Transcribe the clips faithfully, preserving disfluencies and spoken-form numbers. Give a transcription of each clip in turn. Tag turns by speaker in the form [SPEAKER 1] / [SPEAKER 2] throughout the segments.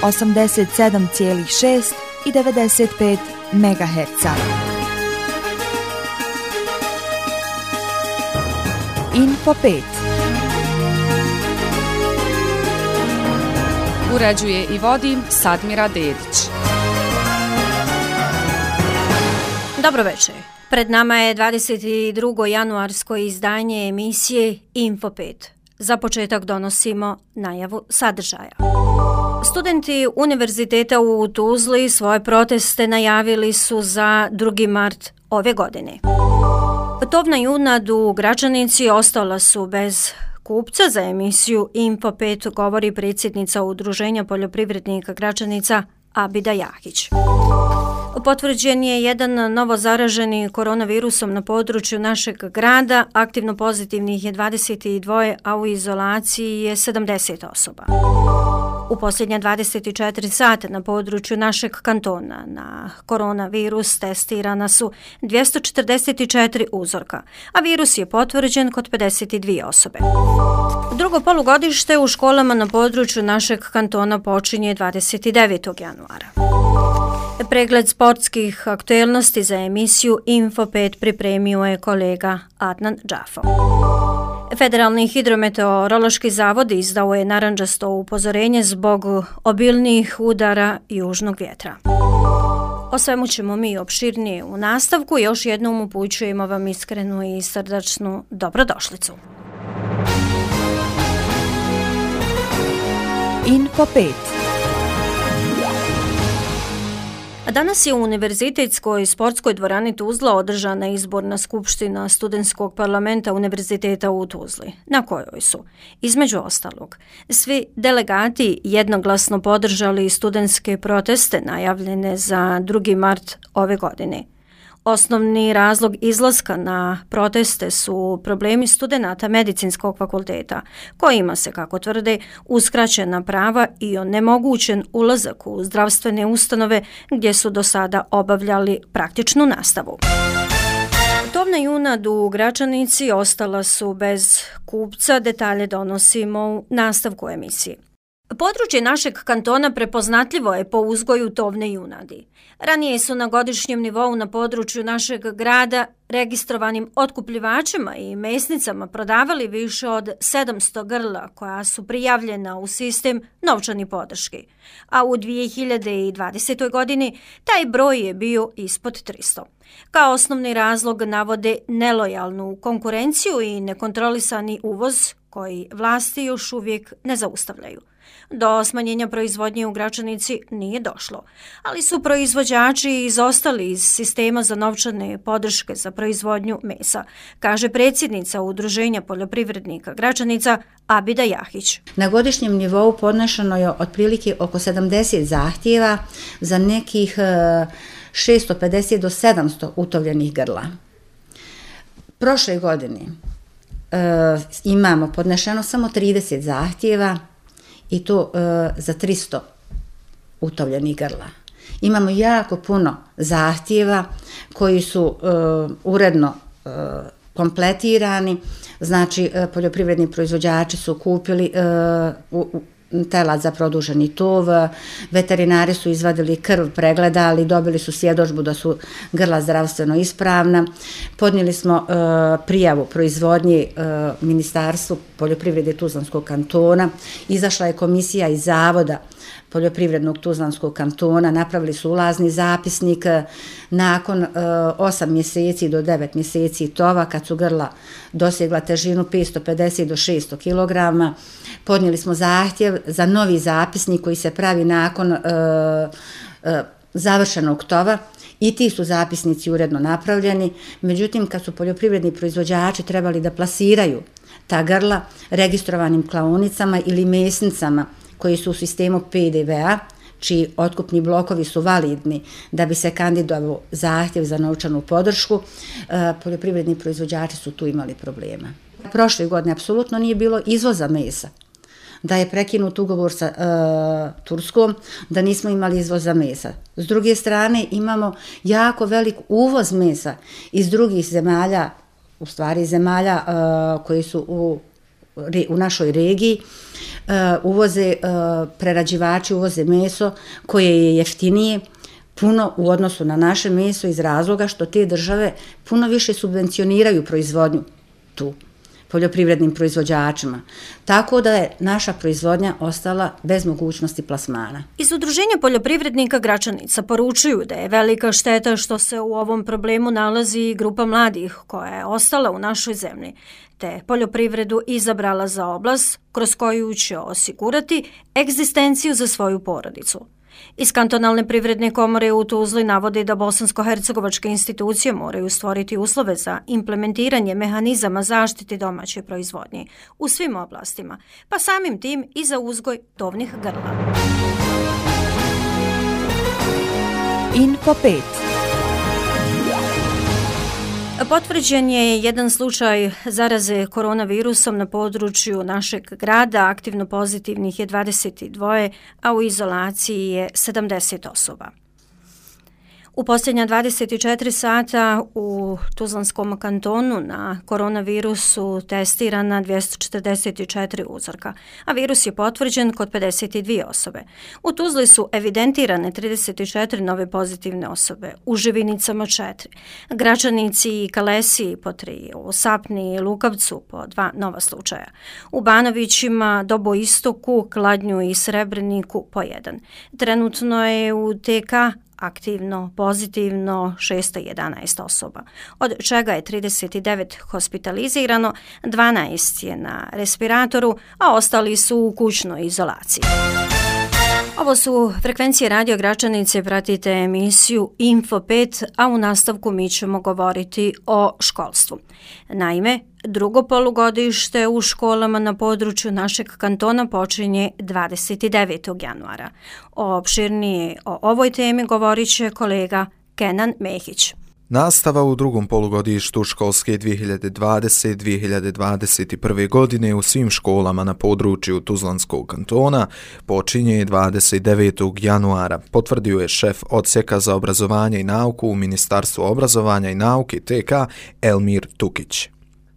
[SPEAKER 1] osamdeset sedam zarez šest i devedeset pet megaherca. Info pet.
[SPEAKER 2] Uređuje i vodi Sadmira Dedić.
[SPEAKER 3] Dobro večer. Pred nama je dvadeset drugo januarsko izdanje emisije Info pet. Za početak donosimo najavu sadržaja. Studenti Univerziteta u Tuzli svoje proteste najavili su za drugi mart ove godine. Tovna junad u Gračanici ostala su bez kupca za emisiju Info pet, govori predsjednica Udruženja poljoprivrednika Gračanica Abida Jahić. Potvrđen je jedan novozaraženi koronavirusom na području našeg grada, aktivno pozitivnih je dvadeset dva, a u izolaciji je sedamdeset osoba. U posljednje dvadeset četiri sata na području našeg kantona na koronavirus testirana su dvjesto četrdeset četiri uzorka, a virus je potvrđen kod pedeset dvije osobe. Drugo polugodište u školama na području našeg kantona počinje dvadeset devetog januara. Pregled sportskih aktuelnosti za emisiju Info pet pripremio je kolega Adnan Džafo. Federalni hidrometeorološki zavod izdao je narandžasto upozorenje zbog obilnijih udara južnog vjetra. O svemu ćemo mi opširnije u nastavku. Još jednom upućujemo vam iskrenu i srdačnu dobrodošlicu.
[SPEAKER 1] Info pet.
[SPEAKER 3] Danas je u Univerzitetskoj sportskoj dvorani Tuzla održana izborna skupština studentskog parlamenta Univerziteta u Tuzli, na kojoj su, između ostalog, svi delegati jednoglasno podržali studentske proteste najavljene za drugi mart ove godine. Osnovni razlog izlaska na proteste su problemi studenata medicinskog fakulteta, kojima se, kako tvrde, uskraćena prava i onemogućen ulazak u zdravstvene ustanove gdje su do sada obavljali praktičnu nastavu. Tovna junad u Gračanici ostala su bez kupca, detalje donosimo u nastavku emisije. Područje našeg kantona prepoznatljivo je po uzgoju tovne junadi. Ranije su na godišnjem nivou na području našeg grada registrovanim otkupljivačima i mesnicama prodavali više od sedamsto grla koja su prijavljena u sistem novčani podrške, a u dvije hiljade dvadesetoj. godini taj broj je bio ispod tristo. Kao osnovni razlog navode nelojalnu konkurenciju i nekontrolisani uvoz koji vlasti još uvijek ne zaustavljaju. Do smanjenja proizvodnje u Gračanici nije došlo, ali su proizvođači izostali iz sistema za novčane podrške za proizvodnju mesa, kaže predsjednica Udruženja poljoprivrednika Gračanica Abida Jahić.
[SPEAKER 4] Na godišnjem nivou podnešeno je otprilike oko sedamdeset zahtjeva za nekih šesto pedeset do sedamsto utovljenih grla. Prošle godine e, imamo podnešeno samo trideset zahtjeva i to e, za tristo utovljenih grla. Imamo jako puno zahtjeva koji su e, uredno e, kompletirani, znači e, poljoprivredni proizvođači su kupili e, u, u, telad za produženi tov, veterinari su izvadili krv, pregledali, dobili su svjedodžbu da su grla zdravstveno ispravna. Podnijeli smo e, prijavu proizvodnje e, Ministarstvu poljoprivrede Tuzlanskog kantona. Izašla je komisija iz Zavoda poljoprivrednog Tuzlanskog kantona, napravili su ulazni zapisnik. Nakon e, osam mjeseci do devet mjeseci tova, kad su grla dosegla težinu petsto pedeset do šesto kilograma, podnijeli smo zahtjev za novi zapisnik koji se pravi nakon e, e, završenog tova i ti su zapisnici uredno napravljeni. Međutim, kad su poljoprivredni proizvođači trebali da plasiraju ta grla registrovanim klaonicama ili mesnicama koji su u sistemu P D V A, čiji otkupni blokovi su validni da bi se kandidovao zahtjev za novčanu podršku, e, poljoprivredni proizvođači su tu imali problema. Prošle godine apsolutno nije bilo izvoza mesa. Da je prekinut ugovor sa e, Turskom, da nismo imali izvoza mesa. S druge strane, imamo jako velik uvoz mesa iz drugih zemalja, u stvari zemalja e, koji su u, u našoj regiji, uvoze prerađivači, uvoze meso koje je jeftinije puno u odnosu na naše meso iz razloga što te države puno više subvencioniraju proizvodnju tu poljoprivrednim proizvođačima. Tako da je naša proizvodnja ostala bez mogućnosti plasmana.
[SPEAKER 3] Iz Udruženja poljoprivrednika Gračanica poručuju da je velika šteta što se u ovom problemu nalazi grupa mladih koja je ostala u našoj zemlji, te poljoprivredu izabrala za oblast kroz koju će osigurati egzistenciju za svoju porodicu. Iz kantonalne privredne komore u Tuzli navodi da bosansko-hercegovačke institucije moraju stvoriti uslove za implementiranje mehanizama zaštite domaće proizvodnje u svim oblastima, pa samim tim i za uzgoj tovnih grla.
[SPEAKER 1] Info pet.
[SPEAKER 3] Potvrđen je jedan slučaj zaraze koronavirusom na području našeg grada, aktivno pozitivnih je dvadeset dva, a u izolaciji je sedamdeset osoba. U posljednja dvadeset četiri sata u Tuzlanskom kantonu na koronavirusu testirana dvjesto četrdeset četiri uzorka, a virus je potvrđen kod pedeset dvije osobe. U Tuzli su evidentirane trideset četiri nove pozitivne osobe, u Živinicama četiri, Gračanici i Kalesiji po tri, u Sapni i Lukavcu po dva nova slučaja, u Banovićima, Doboistoku, Kladnju i Srebreniku po jedan. Trenutno je u T K aktivno pozitivno šesto jedanaest osoba, od čega je trideset devet hospitalizirano, dvanaest je na respiratoru, a ostali su u kućnoj izolaciji. Ovo su frekvencije Radio Gračanice, pratite emisiju Info pet, a u nastavku mi ćemo govoriti o školstvu. Naime, drugo polugodište u školama na području našeg kantona počinje dvadeset devetog januara. Opširnije o ovoj temi govorit će kolega Kenan Mehić.
[SPEAKER 5] Nastava u drugom polugodištu školske dvije hiljade dvadesete dvije hiljade dvadeset prve. godine u svim školama na području Tuzlanskog kantona počinje dvadeset devetog januara, potvrdio je šef odsjeka za obrazovanje i nauku u Ministarstvu obrazovanja i nauke T K Elmir Tukić.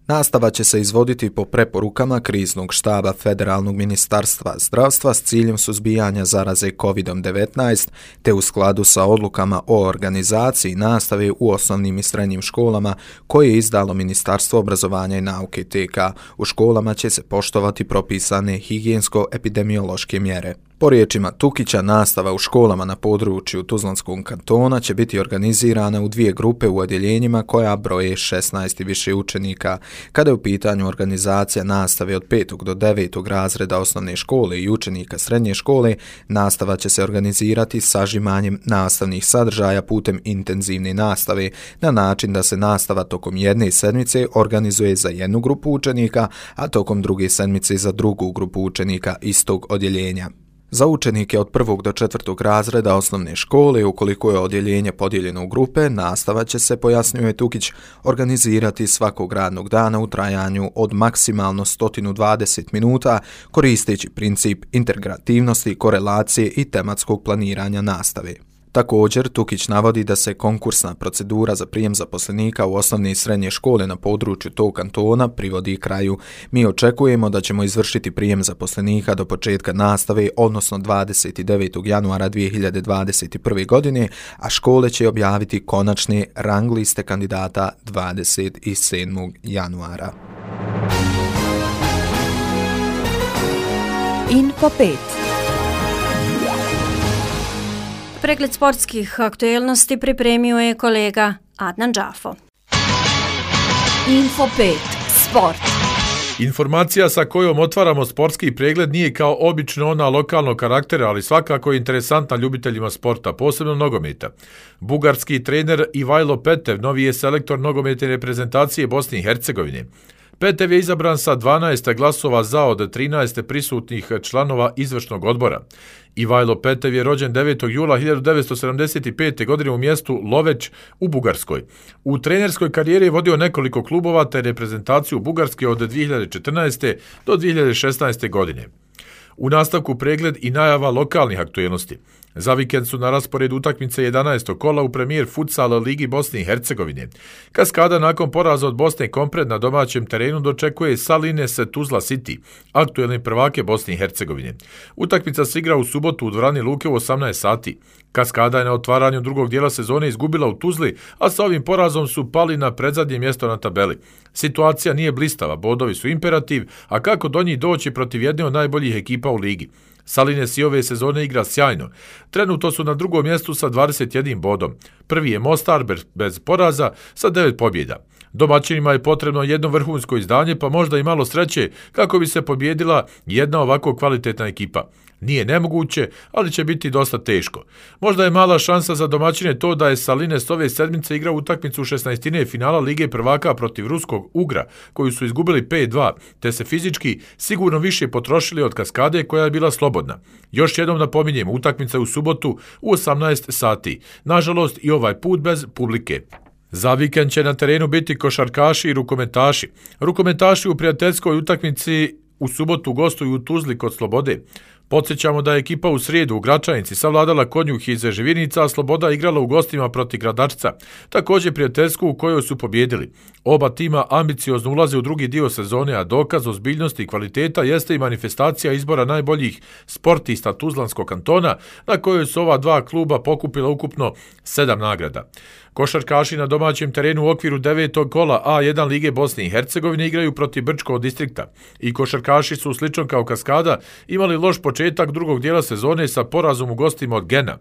[SPEAKER 5] Nastava će se izvoditi po preporukama kriznog štaba Federalnog ministarstva zdravstva s ciljem suzbijanja zaraze kovid devetnaest te u skladu sa odlukama o organizaciji nastave u osnovnim i srednjim školama koje je izdalo Ministarstvo obrazovanja i nauke T K. U školama će se poštovati propisane higijensko-epidemiološke mjere. Po riječima Tukića, nastava u školama na području Tuzlanskog kantona će biti organizirana u dvije grupe u odjeljenjima koja broje šesnaest i više učenika. Kada je u pitanju organizacija nastave od petog do devetog razreda osnovne škole i učenika srednje škole, nastava će se organizirati sažimanjem nastavnih sadržaja putem intenzivne nastave na način da se nastava tokom jedne sedmice organizuje za jednu grupu učenika, a tokom druge sedmice za drugu grupu učenika istog odjeljenja. Za učenike od prvog do četvrtog razreda osnovne škole, ukoliko je odjeljenje podijeljeno u grupe, nastava će se, pojasnjuje Tukić, organizirati svakog radnog dana u trajanju od maksimalno sto dvadeset minuta, koristeći princip integrativnosti, korelacije i tematskog planiranja nastave. Također, Tukić navodi da se konkursna procedura za prijem zaposlenika u osnovne i srednje škole na području tog kantona privodi kraju. Mi očekujemo da ćemo izvršiti prijem zaposlenika do početka nastave, odnosno dvadeset devetog januara dvije hiljade dvadeset prve. godine, a škole će objaviti konačne rang liste kandidata dvadeset sedmog januara.
[SPEAKER 1] Info pet.
[SPEAKER 3] Pregled sportskih aktuelnosti pripremio je kolega Adnan Džafo.
[SPEAKER 1] Info pet. Sport.
[SPEAKER 6] Informacija sa kojom otvaramo sportski pregled nije kao obično ona lokalnog karaktera, ali svakako je interesantna ljubiteljima sporta, posebno nogometa. Bugarski trener Ivajlo Petev novi je selektor nogometne reprezentacije Bosne i Hercegovine. Petev je izabran sa dvanaest glasova za od trinaest prisutnih članova izvršnog odbora. Ivajlo Petev je rođen devetog jula hiljadu devetsto sedamdeset pete. godine u mjestu Loveć u Bugarskoj. U trenerskoj karijeri je vodio nekoliko klubova te reprezentaciju Bugarske od dvije hiljade četrnaeste. do dvije hiljade šesnaeste. godine. U nastavku pregled i najava lokalnih aktuelnosti. Za vikend su na rasporedu utakmice jedanaestog kola u premijer futsal Ligi Bosne i Hercegovine. Kaskada nakon poraza od Bosne Kompred na domaćem terenu dočekuje Salines Tuzla City, aktuelni prvake Bosne i Hercegovine. Utakmica se igra u subotu u dvorani Luke u osamnaest sati. Kaskada je na otvaranju drugog dijela sezone izgubila u Tuzli, a sa ovim porazom su pali na predzadnje mjesto na tabeli. Situacija nije blistava, bodovi su imperativ, a kako do njih doći protiv jedne od najboljih ekipa u ligi? Salines i ove sezone igra sjajno. Trenutno su na drugom mjestu sa dvadeset jednim bodom. Prvi je Mostar bez poraza sa devet pobjeda. Domaćinima je potrebno jedno vrhunsko izdanje, pa možda i malo sreće kako bi se pobjedila jedna ovako kvalitetna ekipa. Nije nemoguće, ali će biti dosta teško. Možda je mala šansa za domaćine to da je Salines ove sedmice igrao utakmicu u šesnaestine finala Lige prvaka protiv ruskog Ugra, koju su izgubili pet dva, te se fizički sigurno više potrošili od Kaskade koja je bila slobodna. Još jednom napominjem, utakmica u subotu u osamnaest sati. Nažalost i ovaj put bez publike. Za vikend će na terenu biti košarkaši i rukometaši. Rukometaši u prijateljskoj utakmici u subotu gostuju u Tuzli kod Slobode. Podsjećamo da je ekipa u srijedu u Gračanici savladala Konjuh iz Živinica, a Sloboda igrala u gostima protiv Gradačca, također prijateljsku u kojoj su pobjedili. Oba tima ambiciozno ulaze u drugi dio sezone, a dokaz ozbiljnosti i kvaliteta jeste i manifestacija izbora najboljih sportista Tuzlanskog kantona, na kojoj su ova dva kluba pokupila ukupno sedam nagrada. Košarkaši na domaćem terenu u okviru devetog kola A jedan Lige Bosne i Hercegovine igraju protiv Brčkog distrikta i košarkaši su slično kao Kaskada imali loš početak drugog dijela sezone sa porazom u gostima od Gena.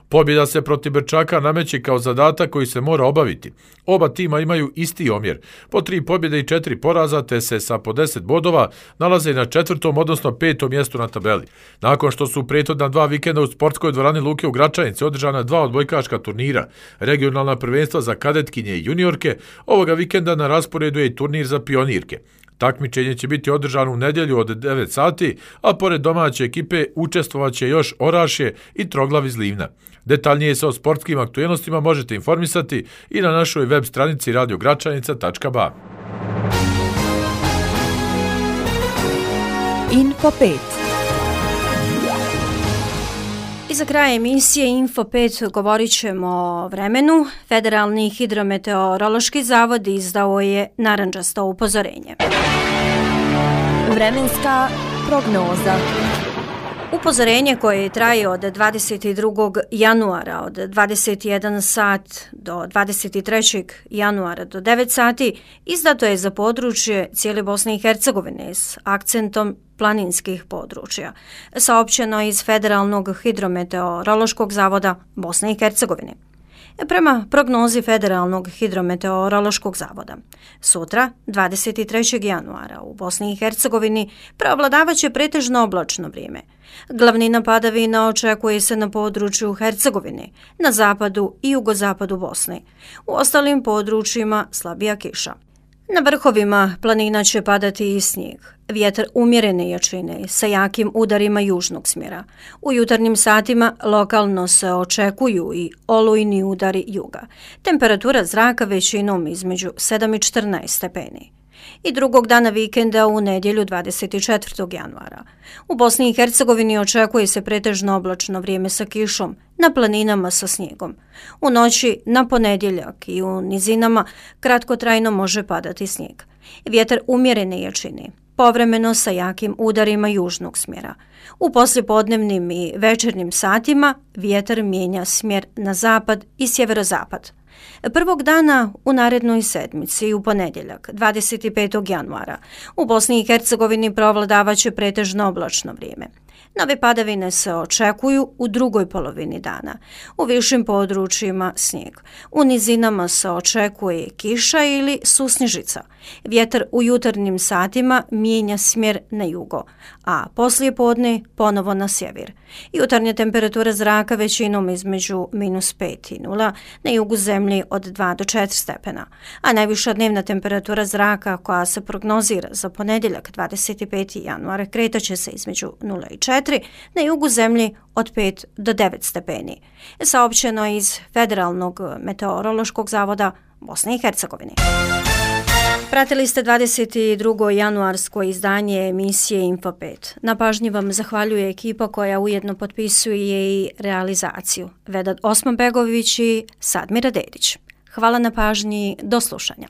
[SPEAKER 6] Pobjeda se protiv Brčaka nameće kao zadatak koji se mora obaviti. Oba tima imaju isti omjer, po tri pobjede i četiri poraza, te se sa po deset bodova nalaze na četvrtom, odnosno petom mjestu na tabeli. Nakon što su prethodna dva vikenda u sportskoj dvorani Luke u Gračanici održana dva odbojkaška turnira, regionalna prvenstva za kadetkinje i juniorke, ovoga vikenda na rasporedu je i turnir za pionirke. Takmičenje će biti održano u nedjelju od devet sati, a pored domaće ekipe učestvovaće još Orašje i Troglav iz Livna. Detaljnije se o sportskim aktuelnostima možete informisati i na našoj web stranici radio gračanica tačka ba.
[SPEAKER 1] Info pet.
[SPEAKER 3] I za kraj emisije Info pet govorit ćemo o vremenu. Federalni hidrometeorološki zavod izdao je narandžasto upozorenje.
[SPEAKER 1] Vremenska prognoza.
[SPEAKER 3] Upozorenje koje traje od dvadeset drugog januara od dvadeset jedan sat do dvadeset trećeg januara do devet sati izdato je za područje cijele Bosne i Hercegovine s akcentom planinskih područja, saopćeno iz Federalnog hidrometeorološkog zavoda Bosne i Hercegovine. Prema prognozi Federalnog hidrometeorološkog zavoda, sutra, dvadeset trećeg januara, u Bosni i Hercegovini preovladavaće pretežno oblačno vrijeme. Glavnina padavina očekuje se na području Hercegovine, na zapadu i jugozapadu Bosne. U ostalim područjima slabija kiša. Na vrhovima planina će padati i snijeg. Vjetar umjerene jačine sa jakim udarima južnog smjera. U jutarnjim satima lokalno se očekuju i olujni udari juga. Temperatura zraka većinom između sedam i četrnaest stepeni. I drugog dana vikenda u nedjelju dvadeset četvrtog januara. U Bosni i Hercegovini očekuje se pretežno oblačno vrijeme sa kišom, na planinama sa snijegom. U noći na ponedjeljak i u nizinama kratkotrajno može padati snijeg. Vjetar umjerene jačine, povremeno sa jakim udarima južnog smjera. U poslijepodnevnim i večernjim satima vjetar mijenja smjer na zapad i sjeverozapad. Prvog dana u narednoj sedmici u ponedjeljak, dvadeset petog januara, u Bosni i Hercegovini provladavaće pretežno oblačno vrijeme. Nove padavine se očekuju u drugoj polovini dana. U višim područjima snijeg. U nizinama se očekuje kiša ili susnježica. Vjetar u jutarnjim satima mijenja smjer na jugo, a poslije podne ponovo na sjever. Jutarnja temperatura zraka većinom između minus pet i nula, na jugu zemlji od dva do četiri stepena, a najviša dnevna temperatura zraka koja se prognozira za ponedjeljak dvadeset peti januar kretaće se između nula i četiri, na jugu zemlji od pet do devet stepeni. Saopćeno iz Federalnog meteorološkog zavoda Bosne i Hercegovine. Pratili ste dvadeset drugo januarsko izdanje emisije Info pet. Na pažnji vam zahvaljuje ekipa koja ujedno potpisuje i realizaciju. Vedad Osman Begović i Sadmira Dedić. Hvala na pažnji, do slušanja.